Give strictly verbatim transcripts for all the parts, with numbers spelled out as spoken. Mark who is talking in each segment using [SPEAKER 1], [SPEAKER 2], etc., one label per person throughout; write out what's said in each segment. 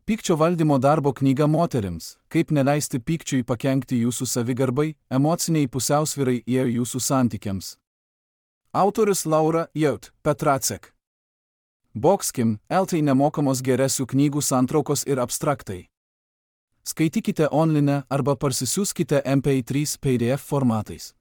[SPEAKER 1] Pykčio valdymo darbo knyga moterims. Kaip neleisti pykčiui pakenkti jūsų savigarbai, emociniai pusiausvyrai ir jūsų santykiams. Autorius Laura Jaut Petracek. Boxkim, eltai nemokamos geresių knygų santraukos ir abstraktai. Skaitykite online arba parsisiųskite M P trys P D F formatais.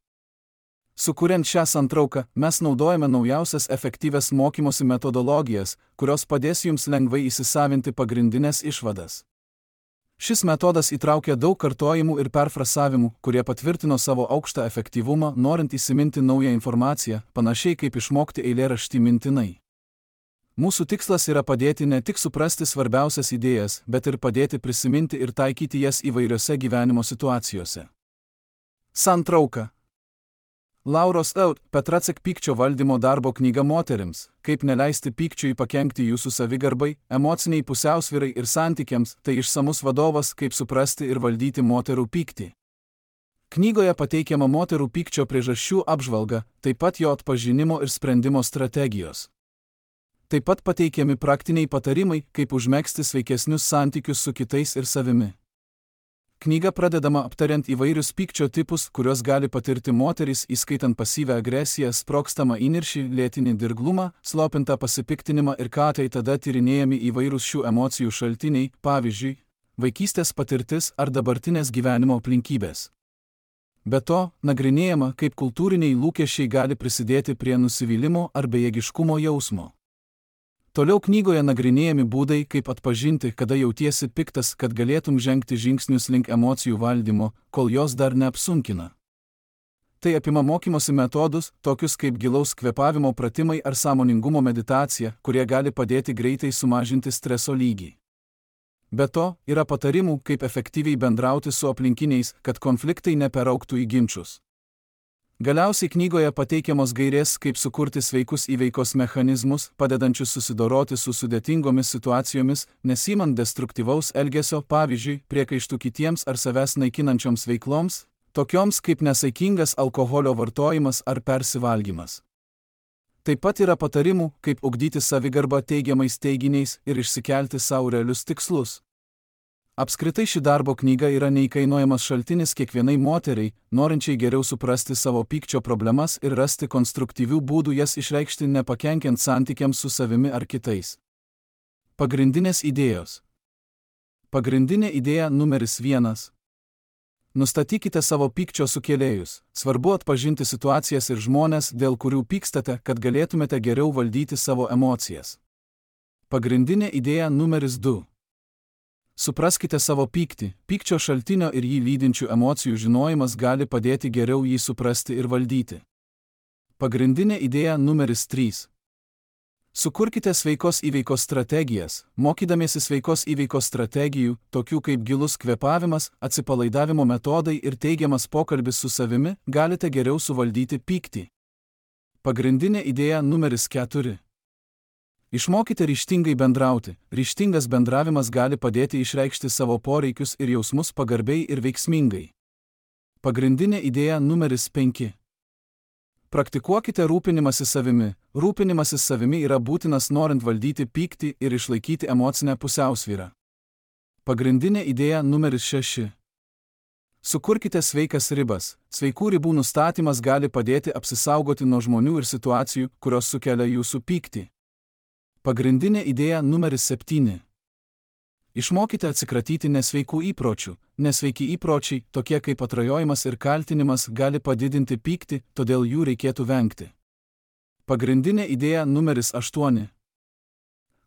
[SPEAKER 1] Sukuriant šią santrauką, mes naudojame naujausias efektyvias mokymosi metodologijas, kurios padės jums lengvai įsisavinti pagrindinės išvadas. Šis metodas įtraukia daug kartojimų ir perfrasavimų, kurie patvirtino savo aukštą efektyvumą, norint įsiminti naują informaciją, panašiai kaip išmokti eilėraštį mintinai. Mūsų tikslas yra padėti ne tik suprasti svarbiausias idėjas, bet ir padėti prisiminti ir taikyti jas įvairiose gyvenimo situacijose. Santrauka. Lauros Jaut Petracek pykčio valdymo darbo knyga moterims. Kaip neleisti pykčiui pakenkti jūsų savigarbai, emociniai pusiausvyrai ir santykiams, tai išsamus vadovas, kaip suprasti ir valdyti moterų pyktį. Knygoje pateikiama moterų pykčio priežasčių apžvalga, taip pat jo atpažinimo ir sprendimo strategijos. Taip pat pateikiami praktiniai patarimai, kaip užmegzti sveikesnius santykius su kitais ir savimi. Knyga pradedama aptariant įvairius pykčio tipus, kuriuos gali patirti moterys, įskaitant pasyvią agresiją, sprogstamą įniršį, lėtinį dirglumą, slopintą pasipiktinimą ir ką tai tada tyrinėjami įvairūs šių emocijų šaltiniai, pavyzdžiui, vaikystės patirtis ar dabartinės gyvenimo aplinkybės. Be to, nagrinėjama, kaip kultūriniai lūkesčiai gali prisidėti prie nusivylimo ar bejėgiškumo jausmo. Toliau knygoje nagrinėjami būdai, kaip atpažinti, kada jautiesi piktas, kad galėtum žengti žingsnius link emocijų valdymo, kol jos dar neapsunkina. Tai apima mokymosi metodus, tokius kaip gilaus kvėpavimo pratimai ar sąmoningumo meditacija, kurie gali padėti greitai sumažinti streso lygį. Be to, yra patarimų, kaip efektyviai bendrauti su aplinkiniais, kad konfliktai neperaugtų į ginčus. Galiausiai knygoje pateikiamos gairės, kaip sukurti sveikus įveikos mechanizmus, padedančius susidoroti su sudėtingomis situacijomis, nesimant destruktyvaus elgesio, pavyzdžiui, priekaištų kitiems ar savęs naikinančioms veikloms, tokioms kaip nesaikingas alkoholio vartojimas ar persivalgymas. Taip pat yra patarimų, kaip ugdyti savigarbą teigiamais teiginiais ir išsikelti savo realius tikslus. Apskritai ši darbo knyga yra neįkainojamas šaltinis kiekvienai moteriai, norinčiai geriau suprasti savo pykčio problemas ir rasti konstruktyvių būdų jas išreikšti nepakenkiant santykiams su savimi ar kitais. Pagrindinės idėjos. Pagrindinė idėja numeris vienas. Nustatykite savo pykčio sukėlėjus. Svarbu atpažinti situacijas ir žmones, dėl kurių pykstate, kad galėtumėte geriau valdyti savo emocijas. Pagrindinė idėja numeris du. Supraskite savo pyktį. Pykčio šaltinio ir jį lydinčių emocijų žinojimas gali padėti geriau jį suprasti ir valdyti. Pagrindinė idėja numeris trys. Sukurkite sveikos įveikos strategijas. Mokydamiesi sveikos įveikos strategijų, tokių kaip gilus kvėpavimas, atsipalaidavimo metodai ir teigiamas pokalbis su savimi, galite geriau suvaldyti pyktį. Pagrindinė idėja numeris keturi. Išmokite ryžtingai bendrauti. Ryžtingas bendravimas gali padėti išreikšti savo poreikius ir jausmus pagarbiai ir veiksmingai. Pagrindinė idėja numeris penki. Praktikuokite rūpinimąsi savimi. Rūpinimasis savimi yra būtinas norint valdyti pyktį ir išlaikyti emocinę pusiausvyrą. Pagrindinė idėja numeris šeši. Sukurkite sveikas ribas. Sveikų ribų nustatymas gali padėti apsisaugoti nuo žmonių ir situacijų, kurios sukelia jūsų pyktį. Pagrindinė idėja numeris septyni. Išmokite atsikratyti nesveikų įpročių. Nesveiki įpročiai, tokie kaip atrajojimas ir kaltinimas, gali padidinti pyktį, todėl jų reikėtų vengti. Pagrindinė idėja numeris aštuoni.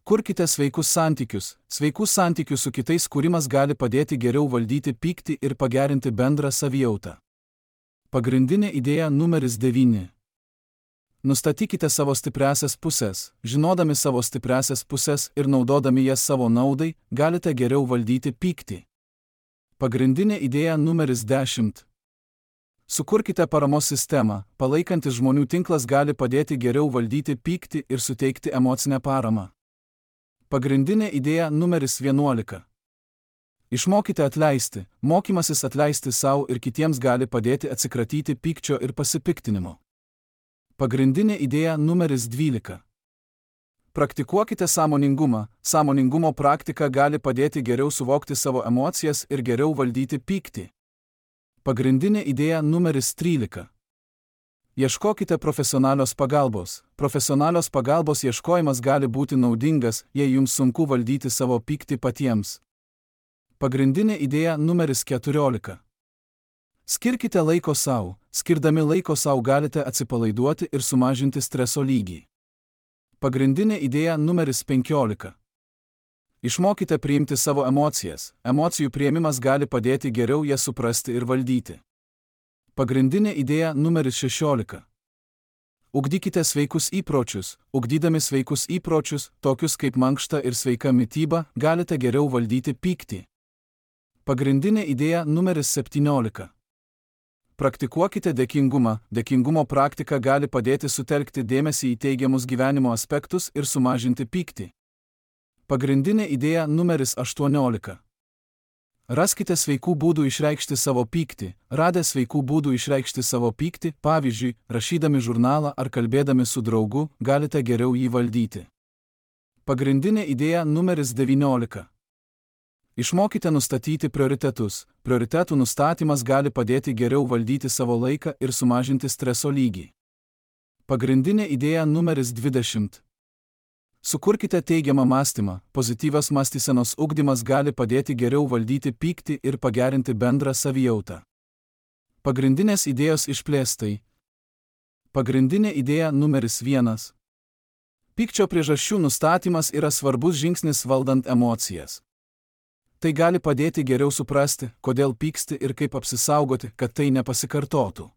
[SPEAKER 1] Kurkite sveikus santykius. Sveikų santykių su kitais kūrimas gali padėti geriau valdyti pyktį ir pagerinti bendrą savijautą. Pagrindinė idėja numeris devyni. Nustatykite savo stipriąsias pusės. Žinodami savo stipriąsias pusės ir naudodami jas savo naudai, galite geriau valdyti pyktį. Pagrindinė idėja numeris dešimt. Sukurkite paramos sistemą. Palaikantis žmonių tinklas gali padėti geriau valdyti pyktį ir suteikti emocinę paramą. Pagrindinė idėja numeris vienuolika. Išmokite atleisti. Mokymasis atleisti savo ir kitiems gali padėti atsikratyti pykčio ir pasipiktinimo. Pagrindinė idėja numeris dvylika. Praktikuokite sąmoningumą. Sąmoningumo praktika gali padėti geriau suvokti savo emocijas ir geriau valdyti pyktį. Pagrindinė idėja numeris trylika. Ieškokite profesionalios pagalbos. Profesionalios pagalbos ieškojimas gali būti naudingas, jei jums sunku valdyti savo pyktį patiems. Pagrindinė idėja numeris keturiolika. Skirkite laiko sau. Skirdami laiko sau galite atsipalaiduoti ir sumažinti streso lygį. Pagrindinė idėja numeris penkiolika. Išmokite priimti savo emocijas. Emocijų priėmimas gali padėti geriau jas suprasti ir valdyti. Pagrindinė idėja numeris šešiolika. Ugdykite sveikus įpročius. Ugdydami sveikus įpročius, tokius kaip mankšta ir sveika mityba, galite geriau valdyti pyktį. Pagrindinė idėja numeris septyniolika. Praktikuokite dėkingumą. Dėkingumo praktika gali padėti sutelkti dėmesį į teigiamus gyvenimo aspektus ir sumažinti pyktį. Pagrindinė idėja numeris aštuoniolika. Raskite sveikų būdų išreikšti savo pyktį. Radę sveikų būdų išreikšti savo pyktį, pavyzdžiui, rašydami žurnalą ar kalbėdami su draugu, galite geriau jį valdyti. Pagrindinė idėja numeris devyniolika. Išmokite nustatyti prioritetus. Prioritetų nustatymas gali padėti geriau valdyti savo laiką ir sumažinti streso lygį. Pagrindinė idėja numeris dvidešimt. Sukurkite teigiamą mąstymą. Pozityvios mąstysenos ugdymas gali padėti geriau valdyti pyktį ir pagerinti bendrą savijautą. Pagrindinės idėjos išplėstai. Pagrindinė idėja numeris vienas. Pykčio priežasčių nustatymas yra svarbus žingsnis valdant emocijas. Tai gali padėti geriau suprasti, kodėl pyksti ir kaip apsisaugoti, kad tai nepasikartotų.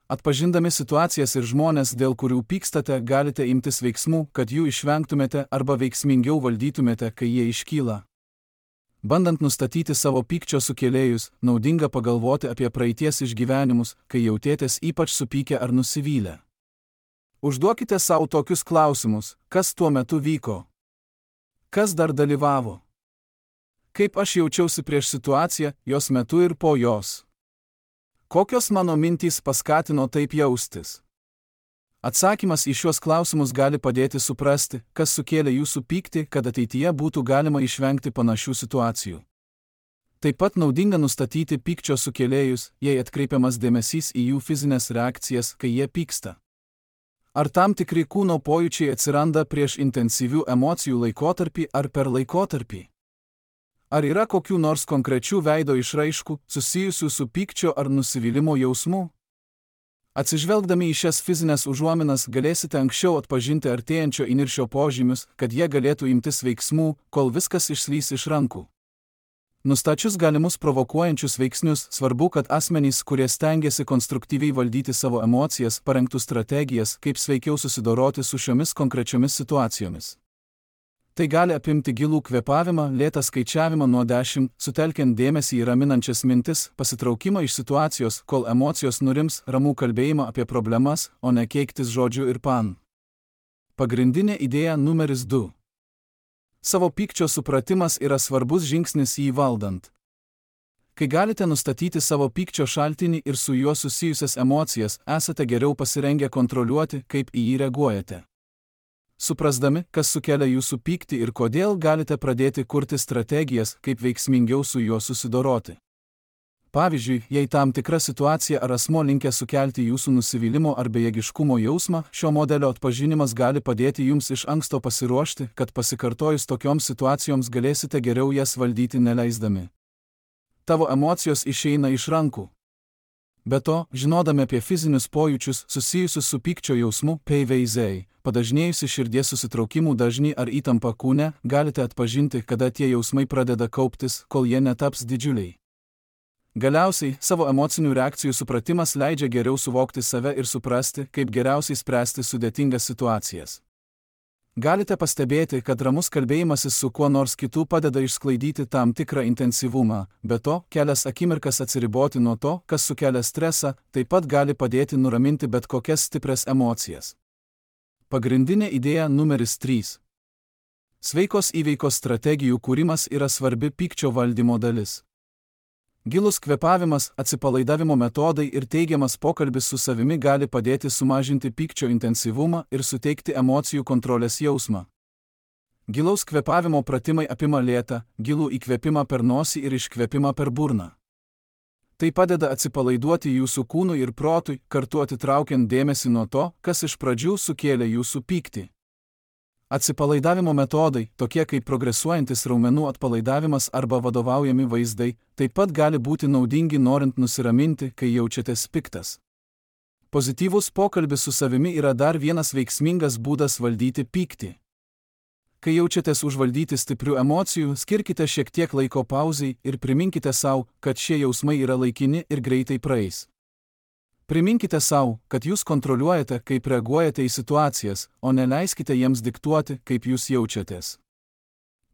[SPEAKER 1] Atpažindami situacijas ir žmonės, dėl kurių pykstate, galite imtis veiksmų, kad jų išvengtumėte arba veiksmingiau valdytumėte, kai jie iškyla. Bandant nustatyti savo pykčio sukėlėjus, naudinga pagalvoti apie praeities išgyvenimus, kai jautėtės ypač supykę ar nusivylę. Užduokite sau tokius klausimus: kas tuo metu vyko? Kas dar dalyvavo? Kaip aš jaučiausi prieš situaciją, jos metu ir po jos? Kokios mano mintys paskatino taip jaustis? Atsakymas į šiuos klausimus gali padėti suprasti, kas sukėlė jūsų pyktį, kad ateityje būtų galima išvengti panašių situacijų. Taip pat naudinga nustatyti pykčio sukėlėjus, jei atkreipiamas dėmesys į jų fizinės reakcijas, kai jie pyksta. Ar tam tikri kūno pojūčiai atsiranda prieš intensyvių emocijų laikotarpį ar per laikotarpį? Ar yra kokių nors konkrečių veido išraiškų, susijusių su pykčio ar nusivylimo jausmu? Atsižvelgdami į šias fizinės užuominas galėsite anksčiau atpažinti artėjančio įniršio požymius, kad jie galėtų imtis veiksmų, kol viskas išslys iš rankų. Nustačius galimus provokuojančius veiksnius, svarbu, kad asmenys, kurie stengiasi konstruktyviai valdyti savo emocijas, parengtų strategijas, kaip sveikiau susidoroti su šiomis konkrečiomis situacijomis. Tai gali apimti gilų kvėpavimą, lėtą skaičiavimą nuo dešimt, sutelkiant dėmesį į raminančias mintis, pasitraukimą iš situacijos, kol emocijos nurims, ramų kalbėjimą apie problemas, o ne keiktis žodžiu ir pan. Pagrindinė idėja numeris du. Savo pykčio supratimas yra svarbus žingsnis jį valdant. Kai galite nustatyti savo pykčio šaltinį ir su juo susijusias emocijas, esate geriau pasirengę kontroliuoti, kaip į jį reaguojate. Suprasdami, kas sukelia jūsų pyktį ir kodėl, galite pradėti kurti strategijas, kaip veiksmingiau su juo susidoroti. Pavyzdžiui, jei tam tikra situacija ar asmo linkę sukelti jūsų nusivylimo ar bejėgiškumo jausmą, šio modelio atpažinimas gali padėti jums iš anksto pasiruošti, kad pasikartojus tokioms situacijoms galėsite geriau jas valdyti neleisdami. Tavo emocijos išeina iš rankų. Be to, žinodami apie fizinius pojūčius susijusius su pykčio jausmu, P V Z, padažnėjusi širdies susitraukimų dažnį ar įtampa kūne, galite atpažinti, kada tie jausmai pradeda kauptis, kol jie netaps didžiuliai. Galiausiai, savo emocinių reakcijų supratimas leidžia geriau suvokti save ir suprasti, kaip geriausiai spręsti sudėtingas situacijas. Galite pastebėti, kad ramus kalbėjimasis su kuo nors kitu padeda išsklaidyti tam tikrą intensyvumą, be to, kelias akimirkas atsiriboti nuo to, kas sukelia stresą, taip pat gali padėti nuraminti bet kokias stiprias emocijas. Pagrindinė idėja numeris trys. Sveikos įveikos strategijų kūrimas yra svarbi pykčio valdymo dalis. Gilus kvėpavimas, atsipalaidavimo metodai ir teigiamas pokalbis su savimi gali padėti sumažinti pykčio intensyvumą ir suteikti emocijų kontrolės jausmą. Gilaus kvėpavimo pratimai apima lėtą, gilų įkvėpimą per nosį ir iškvėpimą per burną. Tai padeda atsipalaiduoti jūsų kūnui ir protui, kartu atitraukiant dėmesį nuo to, kas iš pradžių sukėlė jūsų pyktį. Atsipalaidavimo metodai, tokie kaip progresuojantis raumenų atpalaidavimas arba vadovaujami vaizdai, taip pat gali būti naudingi norint nusiraminti, kai jaučiatės piktas. Pozityvus pokalbis su savimi yra dar vienas veiksmingas būdas valdyti pyktį. Kai jaučiatės užvaldyti stiprių emocijų, skirkite šiek tiek laiko pauzei ir priminkite sau, kad šie jausmai yra laikini ir greitai praeis. Priminkite sau, kad jūs kontroliuojate, kaip reaguojate į situacijas, o neleiskite jiems diktuoti, kaip jūs jaučiatės.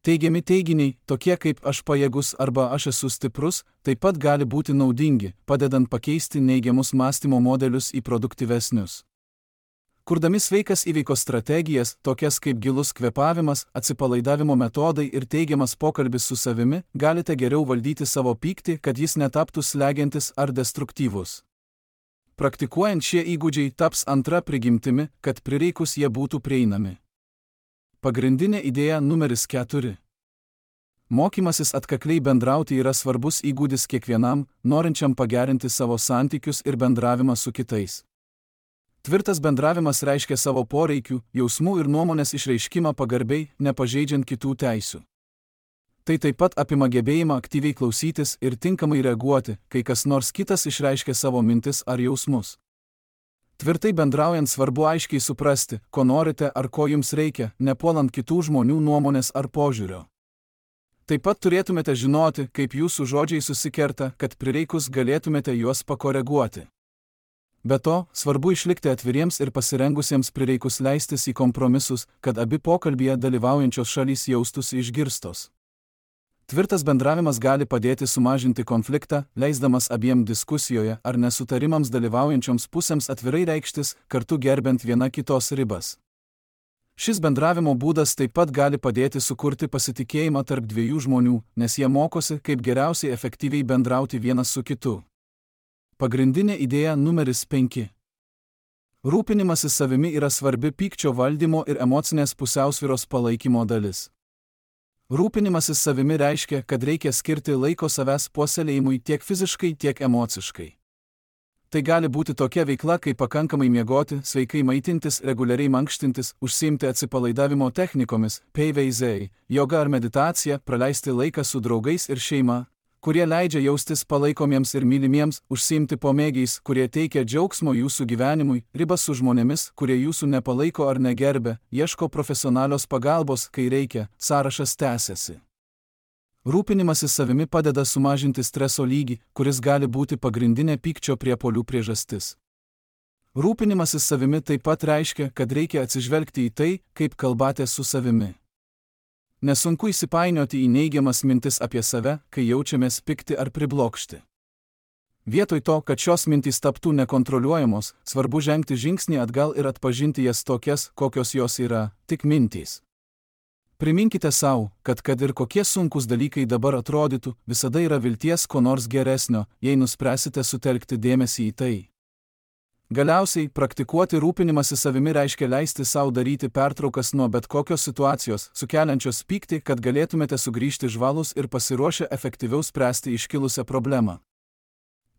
[SPEAKER 1] Teigiami teiginiai, tokie kaip aš pajėgus arba aš esu stiprus, taip pat gali būti naudingi, padedant pakeisti neigiamus mąstymo modelius į produktyvesnius. Kurdami sveikas įveikos strategijas, tokias kaip gilus kvėpavimas, atsipalaidavimo metodai ir teigiamas pokalbis su savimi, galite geriau valdyti savo pyktį, kad jis netaptų slegiantis ar destruktyvus. Praktikuojant šie įgūdžiai taps antra prigimtimi, kad prireikus jie būtų prieinami. Pagrindinė idėja numeris keturi. Mokymasis atkakliai bendrauti yra svarbus įgūdis kiekvienam, norinčiam pagerinti savo santykius ir bendravimą su kitais. Tvirtas bendravimas reiškia savo poreikių, jausmų ir nuomonės išreiškimą pagarbiai, nepažeidžiant kitų teisių. Tai taip pat apima gebėjimą aktyviai klausytis ir tinkamai reaguoti, kai kas nors kitas išreiškia savo mintis ar jausmus. Tvirtai bendraujant svarbu aiškiai suprasti, ko norite ar ko jums reikia, nepuolant kitų žmonių nuomonės ar požiūrio. Taip pat turėtumėte žinoti, kaip jūsų žodžiai susikerta, kad prireikus galėtumėte juos pakoreguoti. Be to, svarbu išlikti atviriems ir pasirengusiems prireikus leistis į kompromisus, kad abi pokalbyje dalyvaujančios šalys jaustųsi išgirstos. Tvirtas bendravimas gali padėti sumažinti konfliktą, leisdamas abiem diskusijoje ar nesutarimams dalyvaujančioms pusėms atvirai reikštis, kartu gerbent viena kitos ribas. Šis bendravimo būdas taip pat gali padėti sukurti pasitikėjimą tarp dviejų žmonių, nes jie mokosi, kaip geriausiai efektyviai bendrauti vienas su kitu. Pagrindinė idėja numeris penki. Rūpinimasis savimi yra svarbi pykčio valdymo ir emocinės pusiausvyros palaikymo dalis. Rūpinimasis savimi reiškia, kad reikia skirti laiko savęs puoselėjimui tiek fiziškai, tiek emociškai. Tai gali būti tokia veikla, kaip pakankamai miegoti, sveikai maitintis, reguliariai mankštintis, užsiimti atsipalaidavimo technikomis, P V Z, joga ar meditacija, praleisti laiką su draugais ir šeima, kurie leidžia jaustis palaikomiems ir mylimiems, užsiimti pomėgiais, kurie teikia džiaugsmo jūsų gyvenimui, ribas su žmonėmis, kurie jūsų nepalaiko ar negerbia, ieško profesionalios pagalbos, kai reikia, sąrašas tęsiasi. Rūpinimasis savimi padeda sumažinti streso lygį, kuris gali būti pagrindinė pykčio priepuolių priežastis. Rūpinimasis savimi taip pat reiškia, kad reikia atsižvelgti į tai, kaip kalbate su savimi. Nesunku įsipainioti į neigiamas mintis apie save, kai jaučiamės pikti ar priblokšti. Vietoj to, kad šios mintys taptų nekontroliuojamos, svarbu žengti žingsnį atgal ir atpažinti jas tokias, kokios jos yra, tik mintys. Priminkite sau, kad kad ir kokie sunkus dalykai dabar atrodytų, visada yra vilties ko nors geresnio, jei nuspręsite sutelkti dėmesį į tai. Galiausiai, praktikuoti rūpinimąsi savimi reiškia leisti sau daryti pertraukas nuo bet kokios situacijos, sukeliančios pyktį, kad galėtumėte sugrįžti žvalūs ir pasiruošę efektyviau spręsti iškilusią problemą.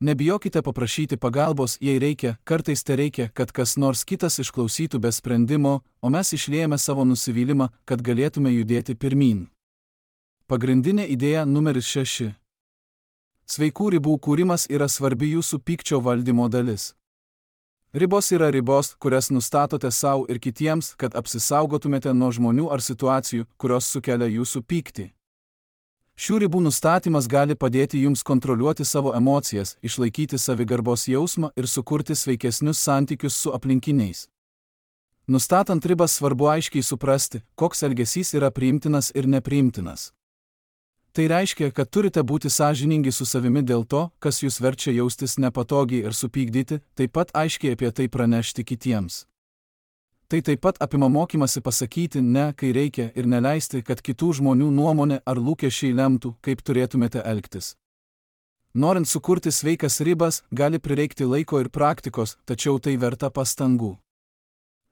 [SPEAKER 1] Nebijokite paprašyti pagalbos, jei reikia, kartais te reikia, kad kas nors kitas išklausytų be sprendimo, o mes išliejame savo nusivylimą, kad galėtume judėti pirmyn. Pagrindinė idėja numeris šeši. Sveikų ribų kūrimas yra svarbi jūsų pykčio valdymo dalis. Ribos yra ribos, kurias nustatote sau ir kitiems, kad apsisaugotumėte nuo žmonių ar situacijų, kurios sukelia jūsų pyktį. Šių ribų nustatymas gali padėti jums kontroliuoti savo emocijas, išlaikyti savigarbos jausmą ir sukurti sveikesnius santykius su aplinkiniais. Nustatant ribas svarbu aiškiai suprasti, koks elgesys yra priimtinas ir nepriimtinas. Tai reiškia, kad turite būti sąžiningi su savimi dėl to, kas jūs verčia jaustis nepatogiai ir supykdyti, taip pat aiškiai apie tai pranešti kitiems. Tai taip pat apima mokymasi pasakyti ne, kai reikia, ir neleisti, kad kitų žmonių nuomonė ar lūkesčiai lemtų, kaip turėtumėte elgtis. Norint sukurti sveikas ribas, gali prireikti laiko ir praktikos, tačiau tai verta pastangų.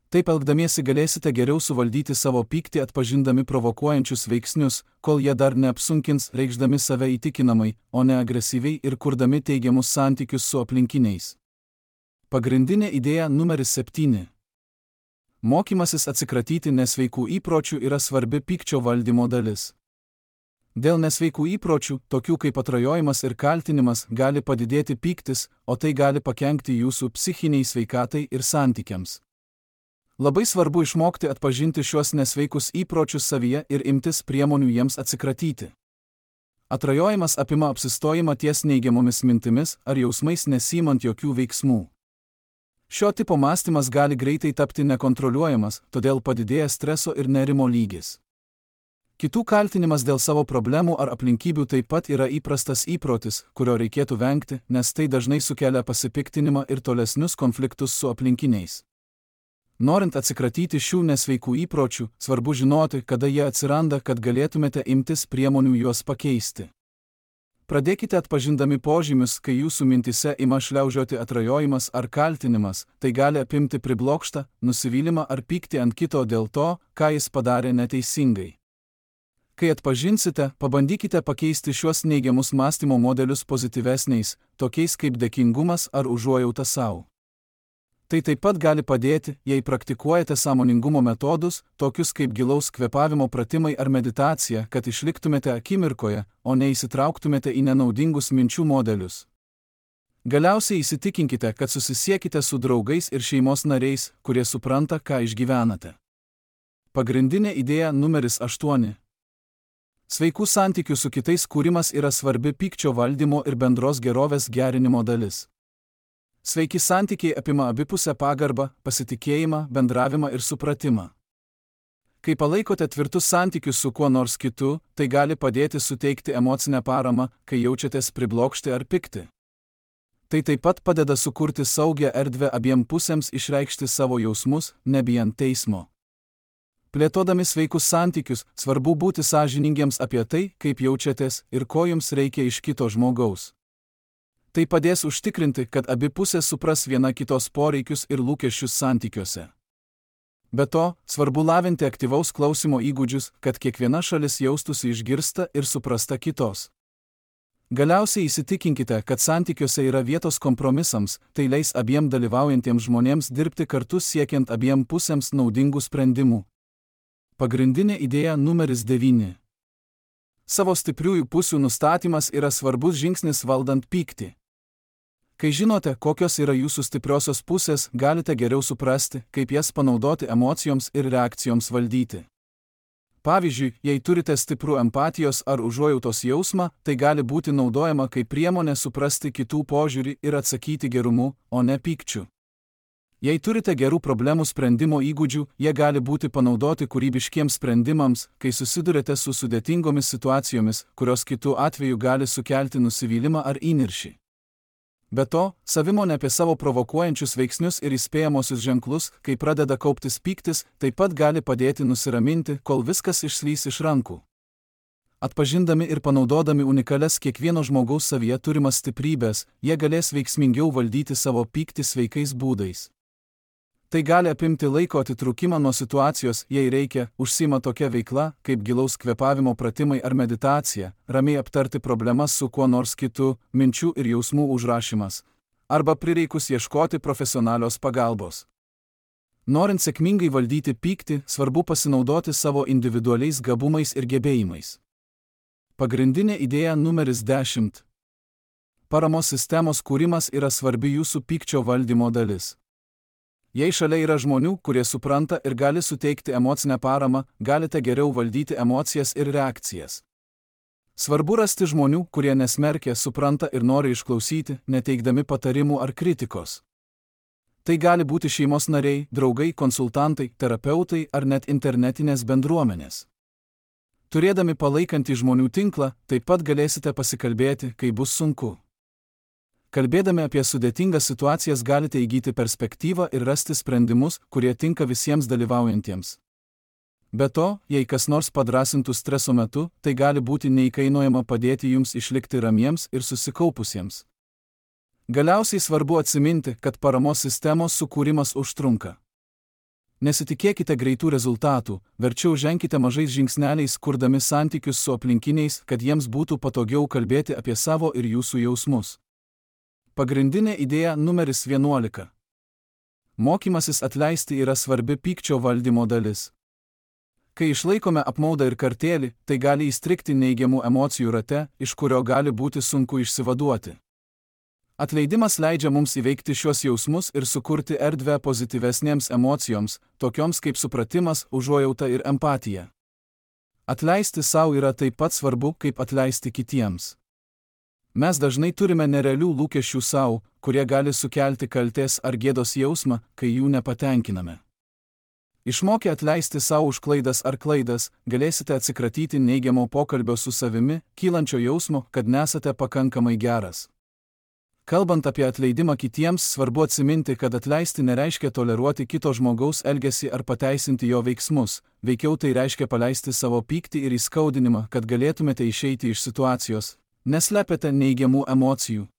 [SPEAKER 1] Taip elgdamiesi galėsite geriau suvaldyti savo pyktį atpažindami provokuojančius veiksnius, kol jie dar neapsunkins, reikšdami save įtikinamai, o ne agresyviai ir kurdami teigiamus santykius su aplinkiniais. Pagrindinė idėja numeris septyni. Mokymasis atsikratyti nesveikų įpročių yra svarbi pykčio valdymo dalis. Dėl nesveikų įpročių, tokių kaip atrajojimas ir kaltinimas, gali padidėti pyktis, o tai gali pakenkti jūsų psichiniai sveikatai ir santykiams. Labai svarbu išmokti atpažinti šiuos nesveikus įpročius savyje ir imtis priemonių jiems atsikratyti. Atrajojimas apima apsistojimą ties neigiamomis mintimis ar jausmais nesiimant jokių veiksmų. Šio tipo mąstymas gali greitai tapti nekontroliuojamas, todėl padidėja streso ir nerimo lygis. Kitų kaltinimas dėl savo problemų ar aplinkybių taip pat yra įprastas įprotis, kurio reikėtų vengti, nes tai dažnai sukelia pasipiktinimą ir tolesnius konfliktus su aplinkiniais. Norint atsikratyti šių nesveikų įpročių, svarbu žinoti, kada jie atsiranda, kad galėtumėte imtis priemonių juos pakeisti. Pradėkite atpažindami požymius, kai jūsų mintise ima šliaužioti atrajojimas ar kaltinimas, tai gali apimti priblokštą, nusivylimą ar pyktį ant kito dėl to, ką jis padarė neteisingai. Kai atpažinsite, pabandykite pakeisti šiuos neigiamus mąstymo modelius pozityvesniais, tokiais kaip dėkingumas ar užuojauta sau. Tai taip pat gali padėti, jei praktikuojate sąmoningumo metodus, tokius kaip gilaus kvėpavimo pratimai ar meditacija, kad išliktumėte akimirkoje, o neįsitrauktumėte į nenaudingus minčių modelius. Galiausiai įsitikinkite, kad susisiekite su draugais ir šeimos nariais, kurie supranta, ką išgyvenate. Pagrindinė idėja numeris aštuoni. Sveikų santykių su kitais kūrimas yra svarbi pykčio valdymo ir bendros gerovės gerinimo dalis. Sveiki santykiai apima abipusę pagarbą, pasitikėjimą, bendravimą ir supratimą. Kai palaikote tvirtus santykius su kuo nors kitu, tai gali padėti suteikti emocinę paramą, kai jaučiatės priblokšti ar pikti. Tai taip pat padeda sukurti saugią erdvę abiem pusėms išreikšti savo jausmus, nebijant teismo. Plėtodami sveikus santykius, svarbu būti sąžiningiems apie tai, kaip jaučiatės ir ko jums reikia iš kito žmogaus. Tai padės užtikrinti, kad abi pusės supras viena kitos poreikius ir lūkesčius santykiuose. Be to, svarbu lavinti aktyvaus klausimo įgūdžius, kad kiekviena šalis jaustųsi išgirsta ir suprasta kitos. Galiausiai įsitikinkite, kad santykiuose yra vietos kompromisams, tai leis abiem dalyvaujantiems žmonėms dirbti kartu siekiant abiem pusėms naudingų sprendimų. Pagrindinė idėja numeris devyni. Savo stipriųjų pusių nustatymas yra svarbus žingsnis valdant pyktį. Kai žinote, kokios yra jūsų stipriosios pusės, galite geriau suprasti, kaip jas panaudoti emocijoms ir reakcijoms valdyti. Pavyzdžiui, jei turite stiprų empatijos ar užuojautos jausmą, tai gali būti naudojama kaip priemonė suprasti kitų požiūrį ir atsakyti gerumu, o ne pykčiu. Jei turite gerų problemų sprendimo įgūdžių, jie gali būti panaudoti kūrybiškiems sprendimams, kai susidurite su sudėtingomis situacijomis, kurios kitų atveju gali sukelti nusivylimą ar įniršį. Be to, savimonė apie savo provokuojančius veiksnius ir įspėjamosius ženklus, kai pradeda kauptis pyktis, taip pat gali padėti nusiraminti, kol viskas išslys iš rankų. Atpažindami ir panaudodami unikalias kiekvieno žmogaus savyje turimas stiprybės, jie galės veiksmingiau valdyti savo pyktį sveikais būdais. Tai gali apimti laiko atitrūkimą nuo situacijos, jei reikia, užsiima tokia veikla, kaip gilaus kvėpavimo pratimai ar meditacija, ramiai aptarti problemas su kuo nors kitu, minčių ir jausmų užrašymas, arba prireikus ieškoti profesionalios pagalbos. Norint sėkmingai valdyti pyktį, svarbu pasinaudoti savo individualiais gabumais ir gebėjimais. Pagrindinė idėja numeris dešimt. Paramos sistemos kūrimas yra svarbi jūsų pykčio valdymo dalis. Jei šalia yra žmonių, kurie supranta ir gali suteikti emocinę paramą, galite geriau valdyti emocijas ir reakcijas. Svarbu rasti žmonių, kurie nesmerkia, supranta ir nori išklausyti, neteikdami patarimų ar kritikos. Tai gali būti šeimos nariai, draugai, konsultantai, terapeutai ar net internetinės bendruomenės. Turėdami palaikantį žmonių tinklą, taip pat galėsite pasikalbėti, kai bus sunku. Kalbėdami apie sudėtingas situacijas galite įgyti perspektyvą ir rasti sprendimus, kurie tinka visiems dalyvaujantiems. Be to, jei kas nors padrasintų streso metu, tai gali būti neįkainojama padėti jums išlikti ramiems ir susikaupusiems. Galiausiai svarbu atsiminti, kad paramos sistemos sukūrimas užtrunka. Nesitikėkite greitų rezultatų, verčiau ženkite mažais žingsneliais, kurdami santykius su aplinkiniais, kad jiems būtų patogiau kalbėti apie savo ir jūsų jausmus. Pagrindinė idėja numeris vienuolika. Mokymasis atleisti yra svarbi pykčio valdymo dalis. Kai išlaikome apmaudą ir kartėlį, tai gali įstrigti neigiamų emocijų rate, iš kurio gali būti sunku išsivaduoti. Atleidimas leidžia mums įveikti šios jausmus ir sukurti erdvę pozityvesnėms emocijoms, tokioms kaip supratimas, užuojauta ir empatija. Atleisti savo yra taip pat svarbu, kaip atleisti kitiems. Mes dažnai turime nerealių lūkesčių savo, kurie gali sukelti kaltės ar gėdos jausmą, kai jų nepatenkiname. Išmokę atleisti savo už klaidas ar klaidas, galėsite atsikratyti neigiamo pokalbio su savimi, kylančio jausmo, kad nesate pakankamai geras. Kalbant apie atleidimą kitiems, svarbu atsiminti, kad atleisti nereiškia toleruoti kito žmogaus elgesį ar pateisinti jo veiksmus, veikiau tai reiškia paleisti savo pyktį ir įskaudinimą, kad galėtumėte išeiti iš situacijos. Neslepiate neigiamų emocijų.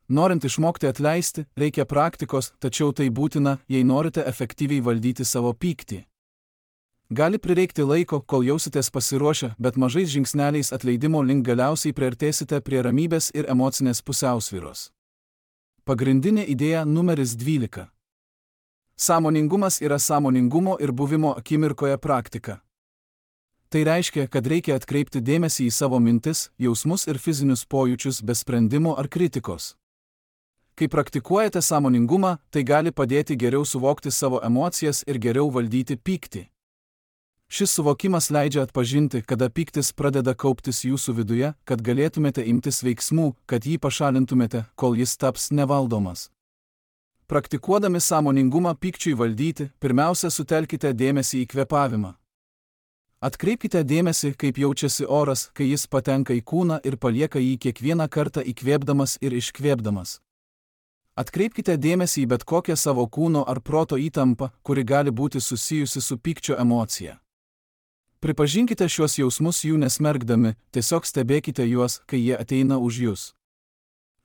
[SPEAKER 1] Norint išmokti atleisti, reikia praktikos, tačiau tai būtina, jei norite efektyviai valdyti savo pyktį. Gali prireikti laiko, kol jausitės pasiruošę, bet mažais žingsneliais atleidimo link galiausiai priartėsite prie ramybės ir emocinės pusiausvyros. Pagrindinė idėja numeris dvylika. Sąmoningumas yra sąmoningumo ir buvimo akimirkoje praktika. Tai reiškia, kad reikia atkreipti dėmesį į savo mintis, jausmus ir fizinius pojūčius be sprendimo ar kritikos. Kai praktikuojate sąmoningumą, tai gali padėti geriau suvokti savo emocijas ir geriau valdyti pyktį. Šis suvokimas leidžia atpažinti, kada pyktis pradeda kauptis jūsų viduje, kad galėtumėte imtis veiksmų, kad jį pašalintumėte, kol jis taps nevaldomas. Praktikuodami sąmoningumą pykčiui valdyti, pirmiausia sutelkite dėmesį į kvėpavimą. Atkreipkite dėmesį, kaip jaučiasi oras, kai jis patenka į kūną ir palieka jį kiekvieną kartą įkvėpdamas ir iškvėpdamas. Atkreipkite dėmesį į bet kokią savo kūno ar proto įtampą, kuri gali būti susijusi su pykčio emocija. Pripažinkite šiuos jausmus jų nesmergdami, tiesiog stebėkite juos, kai jie ateina už jūs.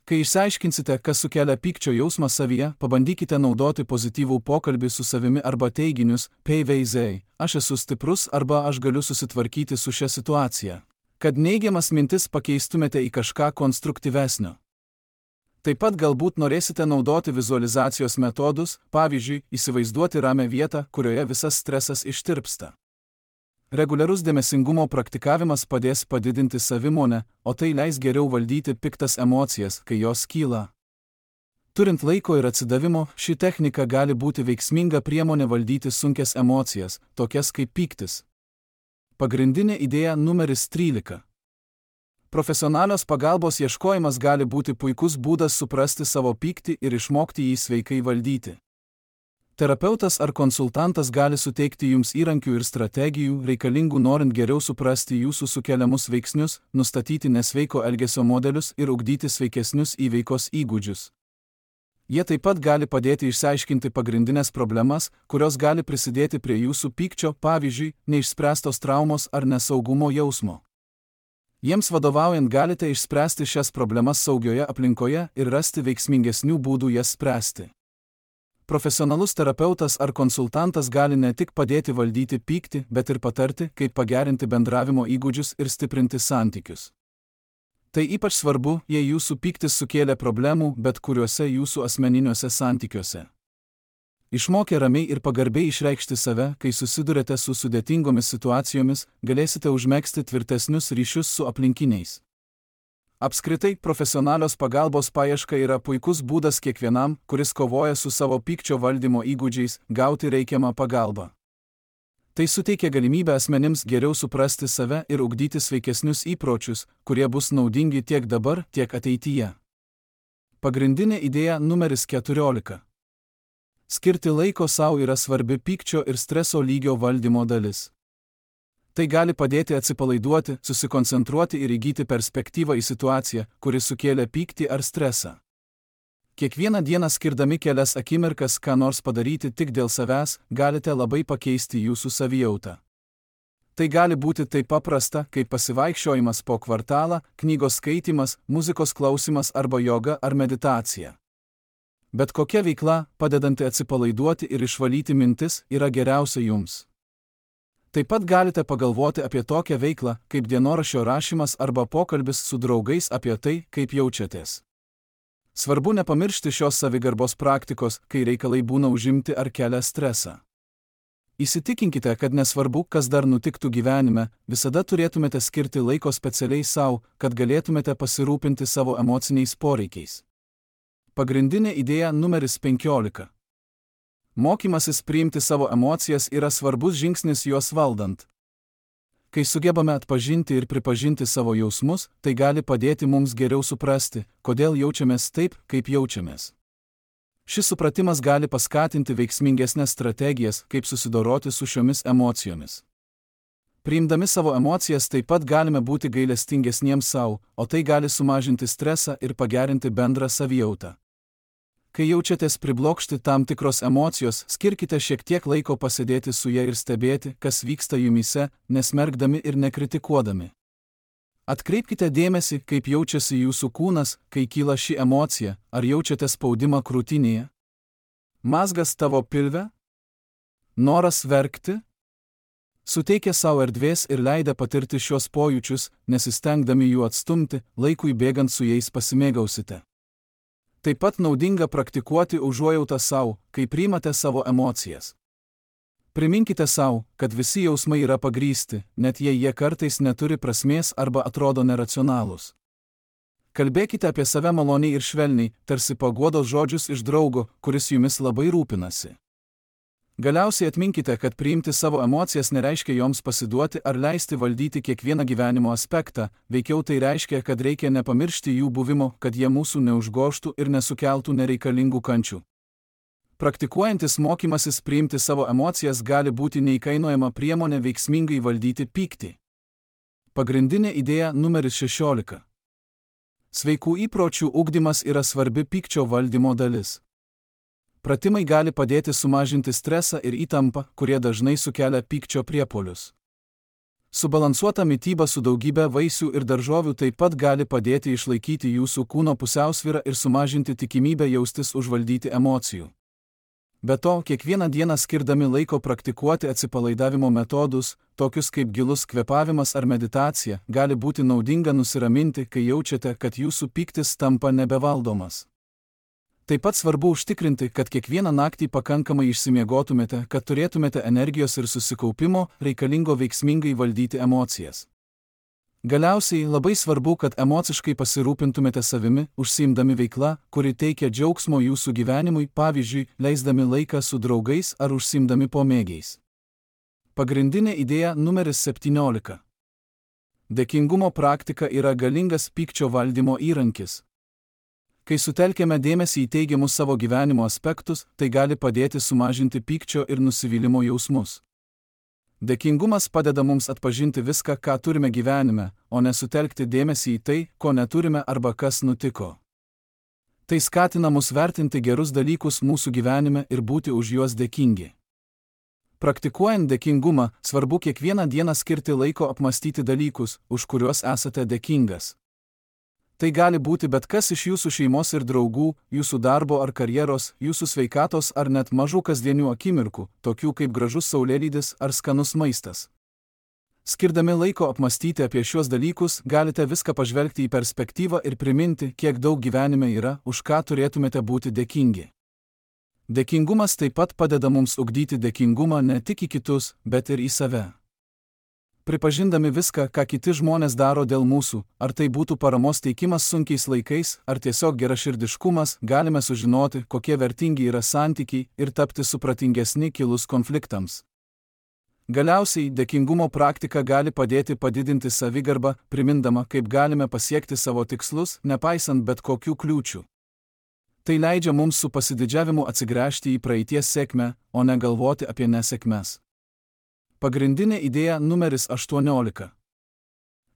[SPEAKER 1] Kai išsiaiškinsite, kas sukelia pykčio jausmą savyje, pabandykite naudoti pozityvų pokalbį su savimi arba teiginius, peiveizei, aš esu stiprus arba aš galiu susitvarkyti su šia situacija, kad neigiamas mintis pakeistumėte į kažką konstruktyvesnio. Taip pat galbūt norėsite naudoti vizualizacijos metodus, pavyzdžiui, įsivaizduoti ramią vietą, kurioje visas stresas ištirpsta. Reguliarus dėmesingumo praktikavimas padės padidinti savimonę, o tai leis geriau valdyti piktas emocijas, kai jos kyla. Turint laiko ir atsidavimo, ši technika gali būti veiksminga priemonė valdyti sunkias emocijas, tokias kaip pyktis. Pagrindinė idėja numeris trylika. Profesionalios pagalbos ieškojimas gali būti puikus būdas suprasti savo pyktį ir išmokti jį sveikai valdyti. Terapeutas ar konsultantas gali suteikti jums įrankių ir strategijų, reikalingų norint geriau suprasti jūsų sukeliamus veiksnius, nustatyti nesveiko elgesio modelius ir ugdyti sveikesnius įveikos įgūdžius. Jie taip pat gali padėti išsiaiškinti pagrindinės problemas, kurios gali prisidėti prie jūsų pykčio, pavyzdžiui, neišspręstos traumos ar nesaugumo jausmo. Jiems vadovaujant galite išspręsti šias problemas saugioje aplinkoje ir rasti veiksmingesnių būdų jas spręsti. Profesionalus terapeutas ar konsultantas gali ne tik padėti valdyti pyktį, bet ir patarti, kaip pagerinti bendravimo įgūdžius ir stiprinti santykius. Tai ypač svarbu, jei jūsų pyktis sukėlė problemų bet kuriuose jūsų asmeniniuose santykiuose. Išmokę ramiai ir pagarbiai išreikšti save, kai susidurėte su sudėtingomis situacijomis, galėsite užmegzti tvirtesnius ryšius su aplinkiniais. Apskritai, profesionalios pagalbos paieška yra puikus būdas kiekvienam, kuris kovoja su savo pykčio valdymo įgūdžiais, gauti reikiamą pagalbą. Tai suteikia galimybę asmenims geriau suprasti save ir ugdyti sveikesnius įpročius, kurie bus naudingi tiek dabar, tiek ateityje. Pagrindinė idėja numeris keturiolika. Skirti laiko sau yra svarbi pykčio ir streso lygio valdymo dalis. Tai gali padėti atsipalaiduoti, susikoncentruoti ir įgyti perspektyvą į situaciją, kuri sukėlė pyktį ar stresą. Kiekvieną dieną skirdami kelias akimirkas ką nors padaryti tik dėl savęs, galite labai pakeisti jūsų savijautą. Tai gali būti taip paprasta, kaip pasivaikščiojimas po kvartalą, knygos skaitimas, muzikos klausimas arba joga ar meditacija. Bet kokia veikla, padedanti atsipalaiduoti ir išvalyti mintis, yra geriausia jums. Taip pat galite pagalvoti apie tokią veiklą, kaip dienoraščio rašymas arba pokalbis su draugais apie tai, kaip jaučiatės. Svarbu nepamiršti šios savigarbos praktikos, kai reikalai būna užimti ar kelia stresą. Įsitikinkite, kad nesvarbu, kas dar nutiktų gyvenime, visada turėtumėte skirti laiko specialiai savo, kad galėtumėte pasirūpinti savo emociniais poreikiais. Pagrindinė idėja numeris penkiolika. Mokymasis priimti savo emocijas yra svarbus žingsnis juos valdant. Kai sugebame atpažinti ir pripažinti savo jausmus, tai gali padėti mums geriau suprasti, kodėl jaučiamės taip, kaip jaučiamės. Šis supratimas gali paskatinti veiksmingesnės strategijas, kaip susidoroti su šiomis emocijomis. Priimdami savo emocijas taip pat galime būti gailestingesniems savo, o tai gali sumažinti stresą ir pagerinti bendrą savijautą. Kai jaučiatės priblokšti tam tikros emocijos, skirkite šiek tiek laiko pasėdėti su ja ir stebėti, kas vyksta jumyse, nesmerkdami ir nekritikuodami. Atkreipkite dėmesį, kaip jaučiasi jūsų kūnas, kai kyla ši emocija, ar jaučiate spaudimą krūtinėje? Mazgas tavo pilve? Noras verkti? Suteikę savo erdvės ir leidę patirti šios pojūčius, nesistengdami jų atstumti, laikui bėgant su jais pasimėgausite. Taip pat naudinga praktikuoti užuojautą savo, kai priimate savo emocijas. Priminkite savo, kad visi jausmai yra pagrįsti, net jei jie kartais neturi prasmės arba atrodo neracionalūs. Kalbėkite apie save maloniai ir švelniai, tarsi paguodos žodžius iš draugo, kuris jumis labai rūpinasi. Galiausiai atminkite, kad priimti savo emocijas nereiškia joms pasiduoti ar leisti valdyti kiekvieną gyvenimo aspektą, veikiau tai reiškia, kad reikia nepamiršti jų buvimo, kad jie mūsų neužgožtų ir nesukeltų nereikalingų kančių. Praktikuojantis mokymasis priimti savo emocijas gali būti neįkainojama priemonė veiksmingai valdyti pyktį. Pagrindinė idėja numeris šešiolika. Sveikų įpročių ugdymas yra svarbi pykčio valdymo dalis. Pratimai gali padėti sumažinti stresą ir įtampą, kurie dažnai sukelia pykčio priepuolius. Subalansuota mityba su daugybė vaisių ir daržovių taip pat gali padėti išlaikyti jūsų kūno pusiausvyrą ir sumažinti tikimybę jaustis užvaldyti emocijų. Be to, kiekvieną dieną skirdami laiko praktikuoti atsipalaidavimo metodus, tokius kaip gilus kvėpavimas ar meditacija, gali būti naudinga nusiraminti, kai jaučiate, kad jūsų pyktis tampa nebevaldomas. Taip pat svarbu užtikrinti, kad kiekvieną naktį pakankamai išsimiegotumėte, kad turėtumėte energijos ir susikaupimo, reikalingo veiksmingai valdyti emocijas. Galiausiai labai svarbu, kad emociškai pasirūpintumėte savimi, užsiimdami veikla, kuri teikia džiaugsmo jūsų gyvenimui, pavyzdžiui, leisdami laiką su draugais ar užsiimdami pomėgiais. Pagrindinė idėja numeris septyniolika. Dėkingumo praktika yra galingas pykčio valdymo įrankis. Kai sutelkiame dėmesį į teigiamus savo gyvenimo aspektus, tai gali padėti sumažinti pykčio ir nusivylimo jausmus. Dėkingumas padeda mums atpažinti viską, ką turime gyvenime, o ne sutelkti dėmesį į tai, ko neturime arba kas nutiko. Tai skatina mus vertinti gerus dalykus mūsų gyvenime ir būti už juos dėkingi. Praktikuojant dėkingumą, svarbu kiekvieną dieną skirti laiko apmąstyti dalykus, už kuriuos esate dėkingas. Tai gali būti bet kas iš jūsų šeimos ir draugų, jūsų darbo ar karjeros, jūsų sveikatos ar net mažų kasdienių akimirkų, tokių kaip gražus saulėlydis ar skanus maistas. Skirdami laiko apmąstyti apie šiuos dalykus, galite viską pažvelgti į perspektyvą ir priminti, kiek daug gyvenime yra, už ką turėtumėte būti dėkingi. Dėkingumas taip pat padeda mums ugdyti dėkingumą ne tik į kitus, bet ir į save. Pripažindami viską, ką kiti žmonės daro dėl mūsų, ar tai būtų paramos teikimas sunkiais laikais, ar tiesiog geraširdiškumas, galime sužinoti, kokie vertingi yra santykiai ir tapti supratingesni kilus konfliktams. Galiausiai, dėkingumo praktika gali padėti padidinti savigarbą, primindama, kaip galime pasiekti savo tikslus, nepaisant bet kokių kliūčių. Tai leidžia mums su pasididžiavimu atsigręžti į praeities sėkmę, o ne galvoti apie nesėkmes. Pagrindinė idėja numeris aštuoniolika.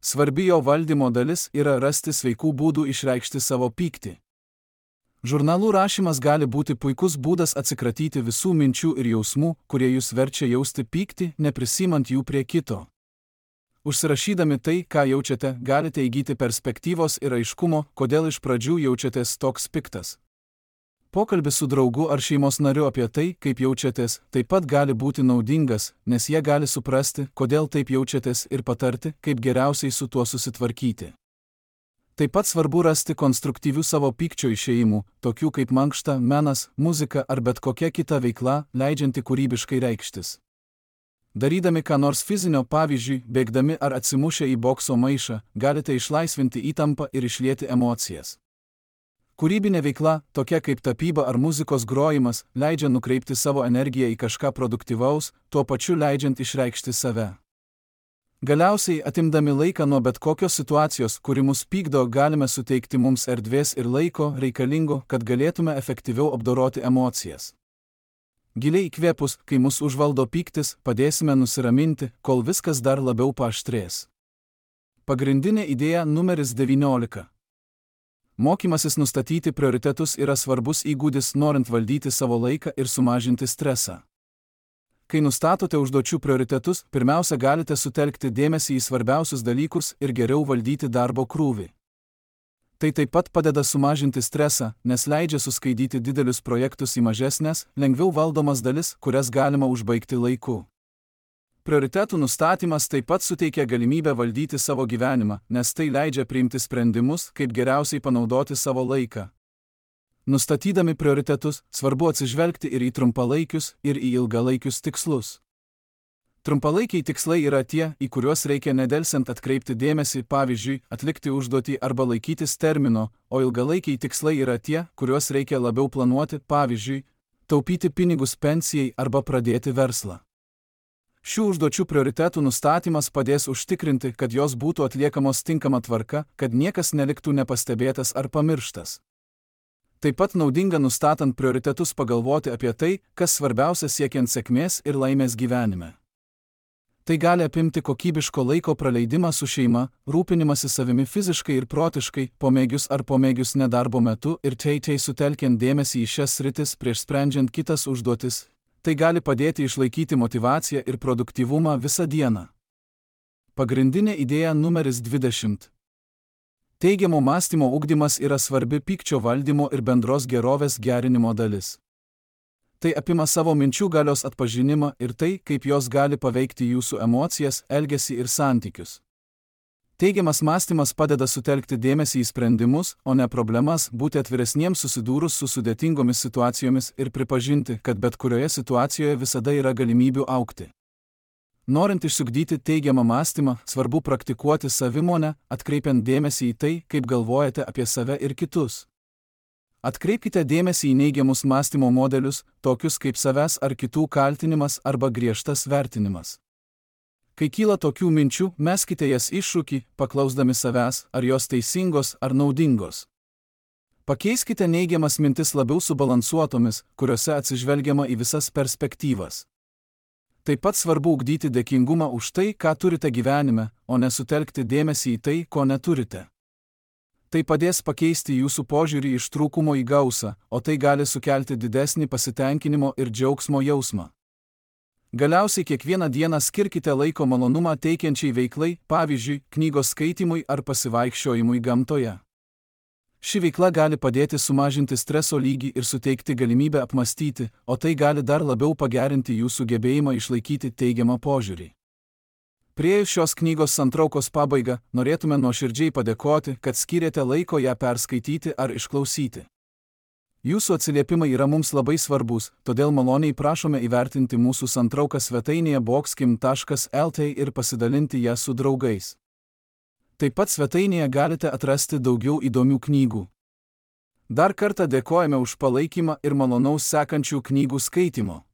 [SPEAKER 1] Svarbi jo valdymo dalis yra rasti sveikų būdų išreikšti savo pyktį. Žurnalų rašymas gali būti puikus būdas atsikratyti visų minčių ir jausmų, kurie jūs verčia jausti pyktį, neprisimant jų prie kito. Užsirašydami tai, ką jaučiate, galite įgyti perspektyvos ir aiškumo, kodėl iš pradžių jaučiatės toks piktas. Pokalbis su draugu ar šeimos nariu apie tai, kaip jaučiatės, taip pat gali būti naudingas, nes jie gali suprasti, kodėl taip jaučiatės ir patarti, kaip geriausiai su tuo susitvarkyti. Taip pat svarbu rasti konstruktyvių savo pykčio išėjimų, tokių kaip mankšta, menas, muzika ar bet kokia kita veikla, leidžianti kūrybiškai reikštis. Darydami ką nors fizinio, pavyzdžiui, bėgdami ar atsimušę į bokso maišą, galite išlaisvinti įtampą ir išlieti emocijas. Kūrybinė veikla, tokia kaip tapyba ar muzikos grojimas, leidžia nukreipti savo energiją į kažką produktyvaus, tuo pačiu leidžiant išreikšti save. Galiausiai, atimdami laiką nuo bet kokios situacijos, kuri mus pykdo, galime suteikti mums erdvės ir laiko reikalingo, kad galėtume efektyviau apdoroti emocijas. Giliai įkvėpus, kai mus užvaldo pyktis, padėsime nusiraminti, kol viskas dar labiau paaštrės. Pagrindinė idėja numeris devyniolika. Mokymasis nustatyti prioritetus yra svarbus įgūdis, norint valdyti savo laiką ir sumažinti stresą. Kai nustatote užduočių prioritetus, pirmiausia galite sutelkti dėmesį į svarbiausius dalykus ir geriau valdyti darbo krūvį. Tai taip pat padeda sumažinti stresą, nes leidžia suskaidyti didelius projektus į mažesnes, lengviau valdomas dalis, kurias galima užbaigti laiku. Prioritetų nustatymas taip pat suteikia galimybę valdyti savo gyvenimą, nes tai leidžia priimti sprendimus, kaip geriausiai panaudoti savo laiką. Nustatydami prioritetus, svarbu atsižvelgti ir į trumpalaikius, ir į ilgalaikius tikslus. Trumpalaikiai tikslai yra tie, į kuriuos reikia nedelsiant atkreipti dėmesį, pavyzdžiui, atlikti užduotį arba laikytis termino, o ilgalaikiai tikslai yra tie, kuriuos reikia labiau planuoti, pavyzdžiui, taupyti pinigus pensijai arba pradėti verslą. Šių užduočių prioritetų nustatymas padės užtikrinti, kad jos būtų atliekamos tinkama tvarka, kad niekas neliktų nepastebėtas ar pamirštas. Taip pat naudinga nustatant prioritetus pagalvoti apie tai, kas svarbiausia siekiant sėkmės ir laimės gyvenime. Tai gali apimti kokybiško laiko praleidimą su šeima, rūpinimąsi savimi fiziškai ir protiškai, pomėgius ar pomėgius nedarbo metu ir teitai sutelkiant dėmesį į šias sritis prieš sprendžiant kitas užduotis. Tai gali padėti išlaikyti motyvaciją ir produktyvumą visą dieną. Pagrindinė idėja numeris dvidešimt. Teigiamo mąstymo ugdymas yra svarbi pykčio valdymo ir bendros gerovės gerinimo dalis. Tai apima savo minčių galios atpažinimą ir tai, kaip jos gali paveikti jūsų emocijas, elgesį ir santykius. Teigiamas mąstymas padeda sutelkti dėmesį į sprendimus, o ne problemas, būti atviresniems susidūrus su sudėtingomis situacijomis ir pripažinti, kad bet kurioje situacijoje visada yra galimybių augti. Norint išsiugdyti teigiamą mąstymą, svarbu praktikuoti savimonę, atkreipiant dėmesį į tai, kaip galvojate apie save ir kitus. Atkreipkite dėmesį į neigiamus mąstymo modelius, tokius kaip savęs ar kitų kaltinimas arba griežtas vertinimas. Kai kyla tokių minčių, meskite jas iššūkį, paklausdami savęs, ar jos teisingos ar naudingos. Pakeiskite neigiamas mintis labiau subalansuotomis, kuriuose atsižvelgiama į visas perspektyvas. Taip pat svarbu ugdyti dėkingumą už tai, ką turite gyvenime, o nesutelkti dėmesį į tai, ko neturite. Tai padės pakeisti jūsų požiūrį iš trūkumo į gausą, o tai gali sukelti didesnį pasitenkinimo ir džiaugsmo jausmą. Galiausiai kiekvieną dieną skirkite laiko malonumą teikiančiai veiklai, pavyzdžiui, knygos skaitimui ar pasivaikščiojimui gamtoje. Ši veikla gali padėti sumažinti streso lygį ir suteikti galimybę apmąstyti, o tai gali dar labiau pagerinti jūsų gebėjimą išlaikyti teigiamą požiūrį. Priėjus šios knygos santraukos pabaigą, norėtume nuoširdžiai padėkoti, kad skyrėte laiko ją perskaityti ar išklausyti. Jūsų atsiliepimai yra mums labai svarbus, todėl maloniai prašome įvertinti mūsų santrauką svetainėje boxkim taškas lt ir pasidalinti ją su draugais. Taip pat svetainėje galite atrasti daugiau įdomių knygų. Dar kartą dėkojame už palaikymą ir malonaus sekančių knygų skaitimo.